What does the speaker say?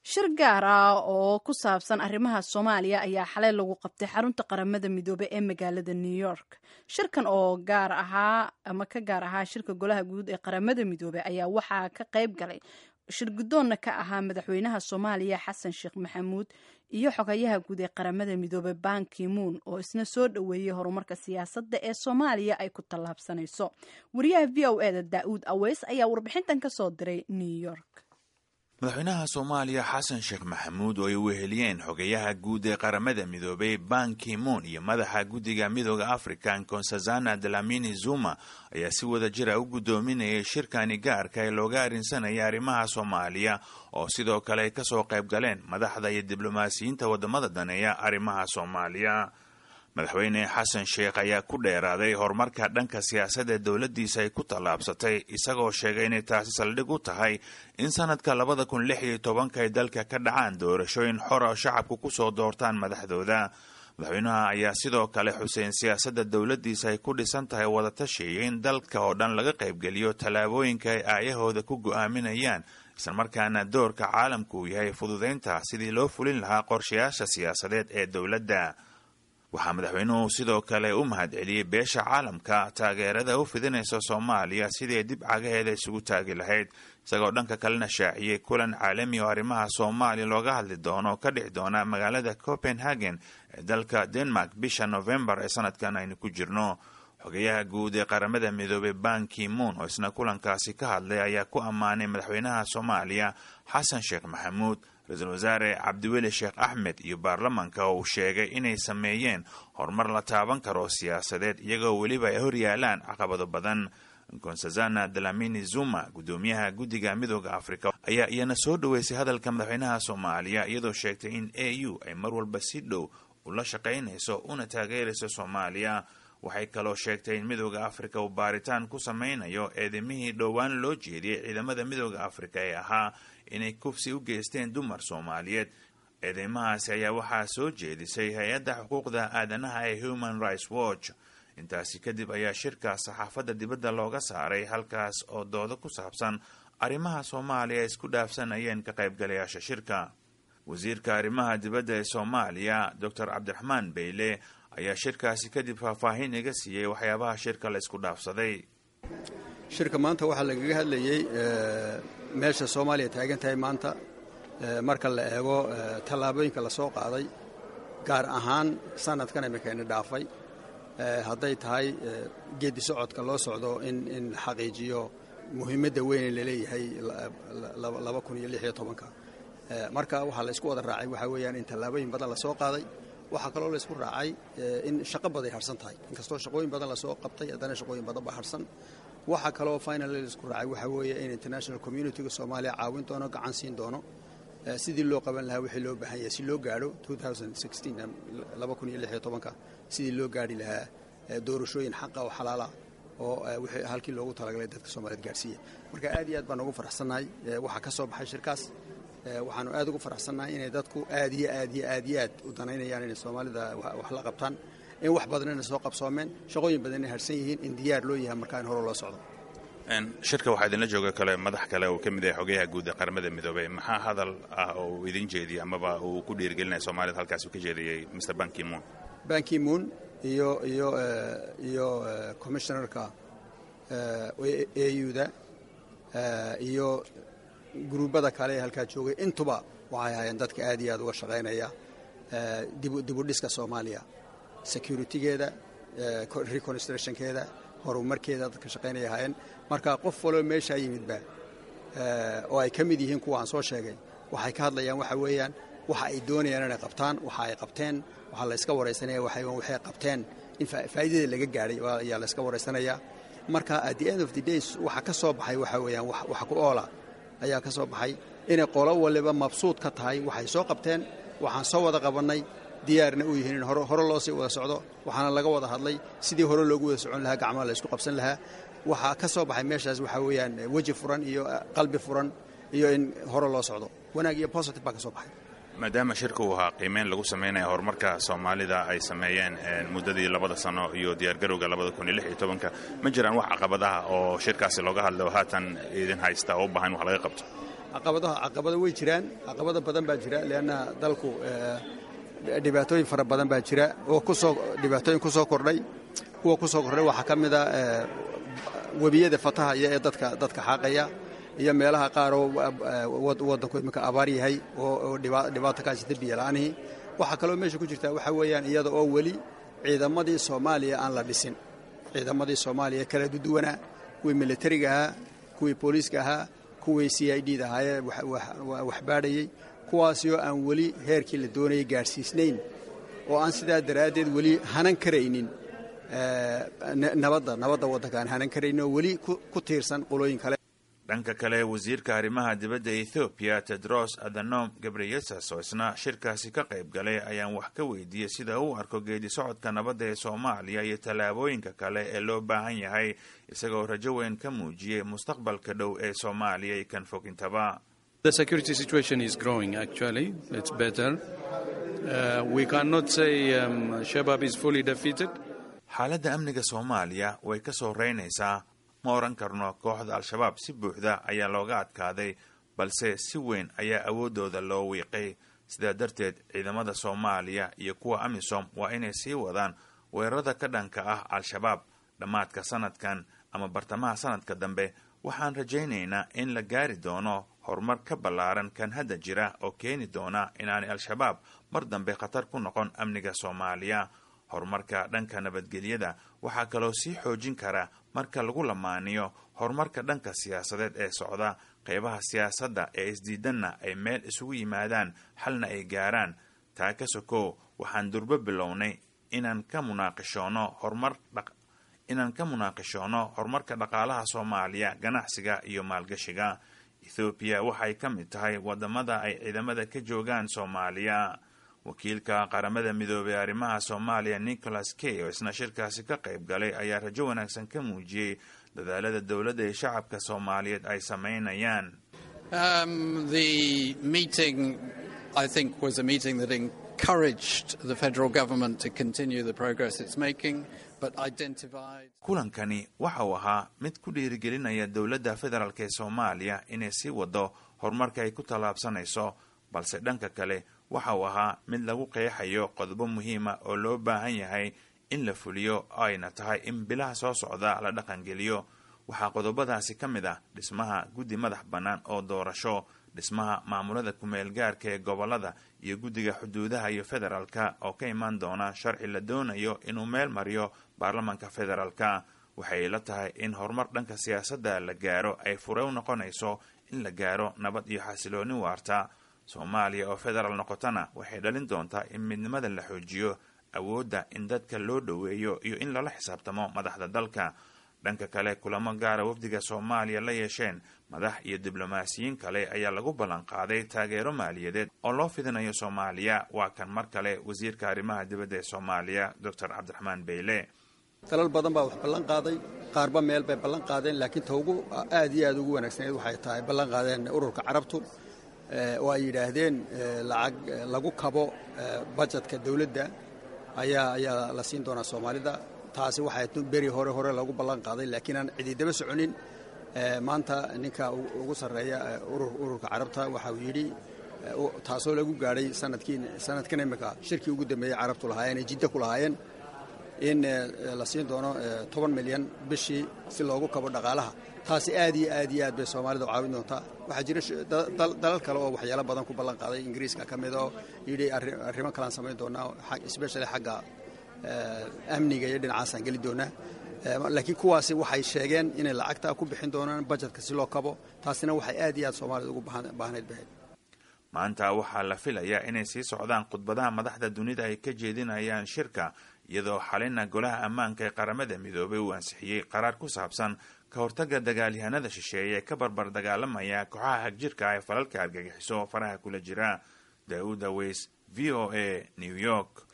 Shir gaar ah oo ku saabsan arrimaha Soomaaliya ayaa xalay lagu qabtay xarunta Qaramada Midoobey ee magaalada New York. Shirkan oo gaar ahaa ama ka gaar ahaa shirka Golaha Guud ee Qaramada Midoobey ayaa waxaa ka qayb galay, shir guddoonna ka ahaa, madaxweynaha Soomaaliya Xasan Sheekh Maxamuud iyo xogayaha guud ee Qaramada Midoobey Ban Ki-moon, oo isna soo dhoweeyey horumarka siyaasadda ee Soomaaliya ay ku tallaabsanayso. Wariyaha VOA-da Daa'uud Aweys ayaa warbixintan ka soo diray New York. Madaxweynaha Soomaaliya Xasan Sheekh Maxamuud oo ay weheliyeen xogayaha guud ee Qaramada Midoobay Ban Ki-moon iyo madaxa guddiga Midooda Africa Nkosazana Dlamini Zuma ayaa si wada jira u guddoominayay shirkani gaarka ee looga arrinsanaya arrimaha Soomaaliya, oo sidoo kale ay kasoo qayb galeen madaxda iyo diblomaasiyiinta waddamada daneeya arrimaha Soomaaliya. Madaxweyne Xasan Sheekh ayaa ku dheeraaday horumarka dhanka siyaasadda dowladdiisa ay ku tallaabsatay, isagoo sheegay inay taasi saldhig u tahay in sanadka 2016-ka ay dalka ka dhacaan doorashooyin xora oo shacabku kusoo doortaan madaxdooda. Madaxweynaha ayaa sidoo kale xuseen siyaasadda dowladdiisa ay ku dhisan tahay wadatashi iyo in dalka oo dhan laga qaybgeliyo tallaabooyinka ay aayahooda ku go'aaminayaan, islamarkaana doorka caalamku uu yahay fududaynta sidii loo fulin lahaa qorshayaasha siyaasadeed ee dowladda. Waxaa madaxweynuhu sidoo kale u mahadceliyey beesha caalamka taageerada u fidinaysa Soomaaliya sidii ay dib cagaheeda isugu taagi lahayd, isagoo dhanka kalena shaaciyey kulan caalami oo arrimaha Soomaaliya looga hadli doono oo ka dhici doona magaalada Copenhagen ee dalka Denmark bisha Novembar ee sanadkan aynu ku jirno. Xogayaha guud ee Qaramada Midoobey Ban Ki-moon oo isna kulankaasi ka hadlay ayaa ku ammaanay madaxweynaha Soomaaliya Xasan Sheekh Maxamuud, ra-iisul wasaare Cabdiweli Sheekh Axmed iyo baarlamanka, oo uu sheegay inay sameeyeen horumar la taaban karo siyaasadeed, iyagoo weliba ay hor yaalaan caqabado badan. Nkosazana Dlamini Zuma, guddoomiyaha guddiga Midooda Afrika, ayaa iyana soo dhoweysay hadalka madaxweynaha Soomaaliya, iyadoo sheegtay in AU ay mar walba si dhow ula shaqaynayso una taageerayso Soomaaliya. Waxay kaloo sheegtay in Midooda Afrika uu baaritaan ku sameynayo eedimihii dhowaan loo jeediyey ciidamada Midooda Afrika ee ahaa inay kufsi u geysteen dumar Soomaaliyeed. Eedeymahaasi ayaa waxaa soo jeedisay hay-adda xuquuqda aadanaha ee Human Rights Watch. Intaasi kadib ayaa shirka saxaafadda dibadda looga saaray, halkaas oo doodo ku saabsan arrimaha Soomaaliya ay isku dhaafsanayeen ka qaybgalayaasha shirka. Wasiirka arrimaha dibadda ee Soomaaliya Doctor Cabdiraxmaan Beyle ayaa shirkaasi kadib faahfaahin iga siiyey waxyaabaha shirka la isku dhaafsaday. Shirka maanta waxaa lagaga hadlayey meesha Soomaaliya taagan tahay maanta marka la eego tallaabooyinka la soo qaaday, gaar ahaan sanadkan imikayna dhaafay, hadday tahay geeddi socodka loo socdo in la xaqiijiyo muhiimadda weyne laleeyahay 2016-ka. Marka waxaa la isku wada raacay waxaa weeyaan in tallaabooyin badan la soo qaaday. Waxaa kaloo la isku raacay in shaqo baday harsan tahay. Inkastoo shaqooyin badan lasoo qabtay, haddana shaqooyin badan baa harsan. Waxaa kaloo finally la isku raacay waxaa weeye in international community-ga Soomaaliya caawin doono, gacan siin doono sidii loo qaban lahaa wixii loo baahan yahay si loo gaadho 2016, 2016-ka, sidii loo gaadhi lahaa doorashooyin xaqa oo xalaala oo wixii halkii loogu talagalay dadka Soomaaliyeed gaadhsiiya. Marka aad iyo aad baan ugu faraxsannahay waxaa ka soo baxay shirkaas. Waxaanu aad ugu faraxsannahay inay dadku aad iyo aad iyo aad iyo aad u danaynayaan inay Soomaalida wax la qabtaan, in wax badanina soo qabsoomeen, shaqooyin badanina harsan yihiin, in diyaar loo yahay markaa in hore loo socdo. Shirka waxaa idinla jooga kale madax kale uu ka mid yahay xogayaha guud ee Qaramada Midoobey. Maxaa hadal ah oo uu idin jeediyey amaba uu ku dhiirigelinaya Soomaalida halkaas uu ka jeediyey Mr Ban Ki-moon? Ban Ki-moon iyo commissioner-ka AU-da iyo guruubada kale ee halkaa joogay intuba waxay ahaayeen dadka aad iyo aad uga shaqaynaya dib u dhiska Soomaaliya, security-geeda, reconstruction-keeda, horumarkeeda dadka shaqaynaya ahaayeen. Marka qof waloo meeshaa yimidba oo ay ka mid yihiin kuwa aan soo sheegay waxay ka hadlayaan waxa weeyaan waxa ay doonayaan inay qabtaan, waxa ay qabteen. Waxaa la iska waraysanaya waxay qabteen in faa'iidada laga gaadhay ayaa la iska waraysanayaa. Marka at the end of the days waxa ka soo baxay waxa weeyaan wax ku oola ayaa ka soo baxay, inay qolo waliba mabsuud ka tahay waxay soo qabteen, waxaan soo wada qabannay, diyaarna u yihiin in hore loo sii wada socdo. Waxaana laga wada hadlay sidii hore loogu wada socon lahaa, gacmaha la isku qabsan lahaa. Waxaa ka soo baxay meeshaas waxaa weeyaan weji furan iyo qalbi furan iyo in hore loo socdo. Wanaag iyo positive baa ka soo baxay. Maadaama shirka uu ahaa qiimeyn lagu sameynaya horumarka Soomaalida ay sameeyeen muddadii 2-da sano iyo diyaargarowga 2016-ka, ma jiraan wax caqabadaha oo shirkaasi looga hadlay oo haatan idin haysta oo u baahan wax laga qabto? Caqabadaha, caqabado way jiraan, caqabado badan baa jira, leanna dalku dhibaatooyin fara badan baa jira oo kusoo dhibaatooyin ku soo kordhay. Kuwa ku soo kordhay waxaa ka mid a webiyada fatahaya ee dadka xaaqaya, iyo meelaha qaar oo waddanku iminka abaar yahay oo dhibaato ka haysata biyo la'aanihii. Waxaa kaloo meesha ku jirta waxaa weeyaan iyada oo weli ciidamadii Soomaaliya aan la dhisin, ciidamadii Soomaaliya kala duduwanaa, kuwii militariga ahaa, kuwii booliiska ahaa, kuwii CID da ahaayee wax baadhayey, kuwaasoo aan weli heerkii la doonayay gaadhsiisnayn, oo aan sidaa daraaddeed weli hanan karaynin nabadda waddanka, aan hanan karaynin oo weli ku tiirsan qolooyin kale. Dhanka kale, wasiirka arrimaha dibadda Ethoobiya Tedros Adhanom Ghebreyesus oo isna shirkaasi ka qayb galay ayaan wax ka weydiiyey sida uu arko geedi socodka nabadda ee Soomaaliya iyo tallaabooyinka kale ee loo baahan yahay, isagoo rajo weyn ka muujiyey mustaqbalka dhow ee Soomaaliya iyo kan fog intaba. The security situation is growing, actually. It's better. We cannot say Shabab is fully defeated. Xaaladda amniga Soomaaliya way ka soo reynaysaa. Ma oran karno kooxda Al-Shabaab si buuxda ayaa looga adkaaday, balse si weyn ayaa awooddooda loo wiiqay. Sidaa darteed ciidamada Soomaaliya iyo kuwa AMISOM waa inay sii wadaan weerarada ka dhanka ah Al-Shabaab. Dhammaadka sanadkan ama bartamaha sanadka dambe waxaan rajaynaynaa in la gaari doono horumar ka ballaaran kan hadda jira oo keeni doona inaanay Al-Shabaab mar dambe khatar ku noqon amniga Soomaaliya. Horumarka dhanka nabadgelyada waxaa kaloo sii xoojin kara marka lagu lamaaniyo horumarka dhanka siyaasadeed ee socda, qeybaha siyaasadda ee isdiidanna ay meel isugu yimaadaan, xalna ay gaaraan. Taa ka sokow, waxaan durbo bilownay inaan ka munaaqishoono horumarka dhaqaalaha Soomaaliya, ganacsiga iyo maalgashiga. Ethoobiya waxay ka mid tahay wadamada ay ciidamada ka joogaan Soomaaliya. Wakiilka Qaramada Midoobay arrimaha Soomaaliya Nicholas Kay oo isna shirkaasi ka qayb galay ayaa rajo wanaagsan ka muujiyey dadaalada dowladda ee shacabka Soomaaliyeed ay samaynayaan. The meeting, I think, was a meeting that encouraged the federal government to continue the progress it's making, but identified. Kulankani waxa uu ahaa mid ku dhiirigelinaya dowladda federaalk ee Soomaaliya inay sii wado horumarka ay ku tallaabsanayso, balse dhanka kale waxa uu ahaa mid lagu qeexayo qodobo muhiima oo loo baahan yahay in la fuliyo, ayna tahay in bilaha soo socda la dhaqangeliyo. Waxaa qodobadaasi ka mid ah dhismaha guddi madax bannaan oo doorasho, dhismaha maamulada kumeel gaarka ee gobolada, iyo guddiga xuduudaha iyo federaalka oo ka imaan doona sharci la doonayo inuu meel mariyo baarlamanka federaalka. Waxay la tahay in horumar dhanka siyaasadda la gaaro ay fure u noqonayso in la gaaro nabad iyo xasilooni waarta. Soomaaliya oo federaal noqotana waxay dhalin doontaa in midnimada la xoojiyo, awoodda in dadka loo dhoweeyo iyo in lala xisaabtamo madaxda dalka. Dhanka kale, kulamo gaara wafdiga Soomaaliya la yeesheen madax iyo diblomaasiyiin kale ayaa lagu ballan qaaday taageero maaliyadeed oo loo fidinayo Soomaaliya. Waa kan mar kale wasiirka arrimaha dibadda ee Soomaaliya, Doctor Cabdiraxmaan Beyle. Dalal badan baa wax ballan qaaday, qaarba meel bay ballan qaadeen, laakiin ta ugu aad iyo aad ugu wanaagsaneed waxay tahay ballan qaadeen Ururka Carabtu, oo ay yidhaahdeen lacag lagu kabo bajetka dowladda ayaa la siin doonaa Soomaalida. Taasi waxay beri hore lagu ballan qaaday, laakiin aan cididaba soconin. Maanta ninka ugu sarreeya Ururka Carabta waxa uu yidhi, taasoo lagu gaadhay sanadkii sanadkan imika shirkii ugu dambeeyey Carabtu lahaayeen ee Jidda ku lahaayeen, in la siin doono 10 milyan bishii si loogu kabo dhaqaalaha. Taasi aad iyo aad iyo aad bay Soomaalida u caawin doontaa. Waxaa jira dalal kale oo waxyaalo badan ku ballan qaaday, Ingiriiska ka mid oo yidhi arrimo kalean samayn doonaa, especially xagga amniga iyo dhinacaasaan geli doonaa. Laakiin kuwaasi waxay sheegeen inay lacagta ku bixin doonaan bajetka si loo kabo. Taasina waxay aad iyo aad Soomaalida ugu baahnayd bahayd. Maanta waxaa la filayaa inay sii socdaan khudbadaha madaxda dunida ay ka jeedinayaan shirka, iyadoo xalina Golaha Ammaanka ee Qaramada Midoobay uu ansixiyey qaraar ku saabsan ka hortagga dagaalyahanada shisheeye ee ka barbar dagaalamaya kooxaha hagjirka ee falalka argagixiso faraha kula jira. Daa'uud Aweys, VOA, New York.